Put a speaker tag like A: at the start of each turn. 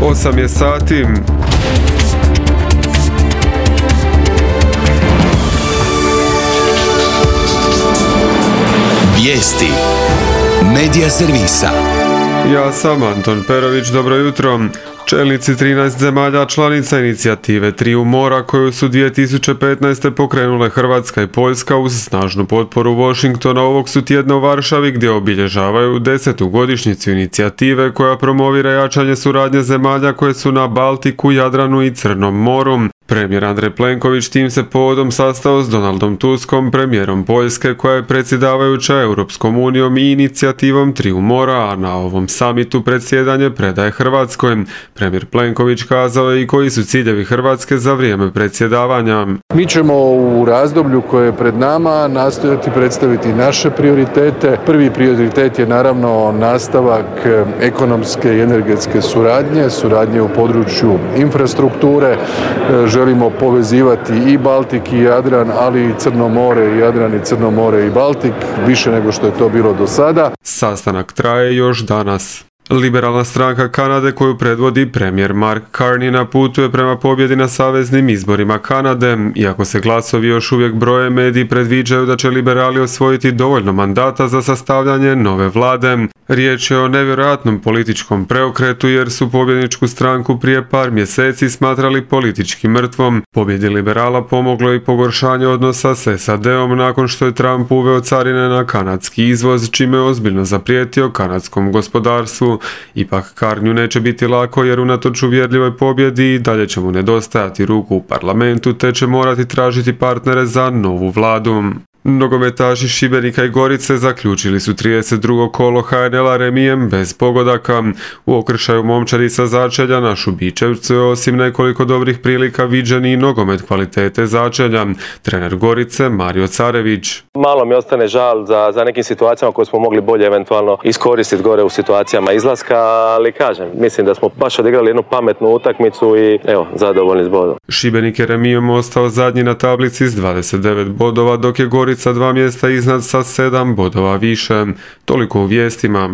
A: 8 je sati.
B: Vijesti Medija servisa.
A: Ja sam Anton Perović, dobro jutro. Čelnici 13 zemalja članica inicijative Triju mora koju su 2015. pokrenule Hrvatska i Poljska uz snažnu potporu Washingtona ovog su tjedna u Varšavi gdje obilježavaju 10. godišnjicu inicijative koja promovira jačanje suradnje zemalja koje su na Baltiku, Jadranu i Crnom moru. Premijer Andrej Plenković tim se povodom sastao s Donaldom Tuskom, premijerom Poljske koja je predsjedavajuća Europskom unijom i inicijativom Triju mora, a na ovom samitu predsjedanje predaje Hrvatskoj. Premijer Plenković kazao je i koji su ciljevi Hrvatske za vrijeme predsjedavanja.
C: Mi ćemo u razdoblju koje je pred nama nastojati predstaviti naše prioritete. Prvi prioritet je naravno nastavak ekonomske i energetske suradnje u području infrastrukture. Želimo povezivati i Baltik i Jadran, ali i Crno more i Jadran i Crno more i Baltik, više nego što je to bilo do sada.
A: Sastanak traje još danas. Liberalna stranka Kanade koju predvodi premijer Mark Carney na putu je prema pobjedi na saveznim izborima Kanade. Iako se glasovi još uvijek broje, mediji predviđaju da će liberali osvojiti dovoljno mandata za sastavljanje nove vlade. Riječ je o nevjerojatnom političkom preokretu jer su pobjedničku stranku prije par mjeseci smatrali politički mrtvom. Pobjedi liberala pomoglo i pogoršanje odnosa s SAD-om nakon što je Trump uveo carine na kanadski izvoz, čime je ozbiljno zaprijetio kanadskom gospodarstvu. Ipak Carneyu neće biti lako jer unatoč uvjerljivoj pobjedi dalje će mu nedostajati ruku u parlamentu te će morati tražiti partnere za novu vladu. Nogometaši Šibenika i Gorice zaključili su 32. kolo HNL-a remijem bez pogodaka. U okršaju momčadi sa Začelja na Šubičevcu je osim nekoliko dobrih prilika viđen i nogomet kvalitete Začelja. Trener Gorice Mario Carević.
D: Malo mi ostane žal za nekim situacijama koje smo mogli bolje eventualno iskoristiti gore u situacijama izlaska, ali kažem, mislim da smo baš odigrali jednu pametnu utakmicu i evo, zadovoljni s bodom.
A: Šibenik je remijem ostao zadnji na tablici s 29 bodova, dok je Gorica 2 mjesta iznad sa 7 bodova više. Toliko u vijestima.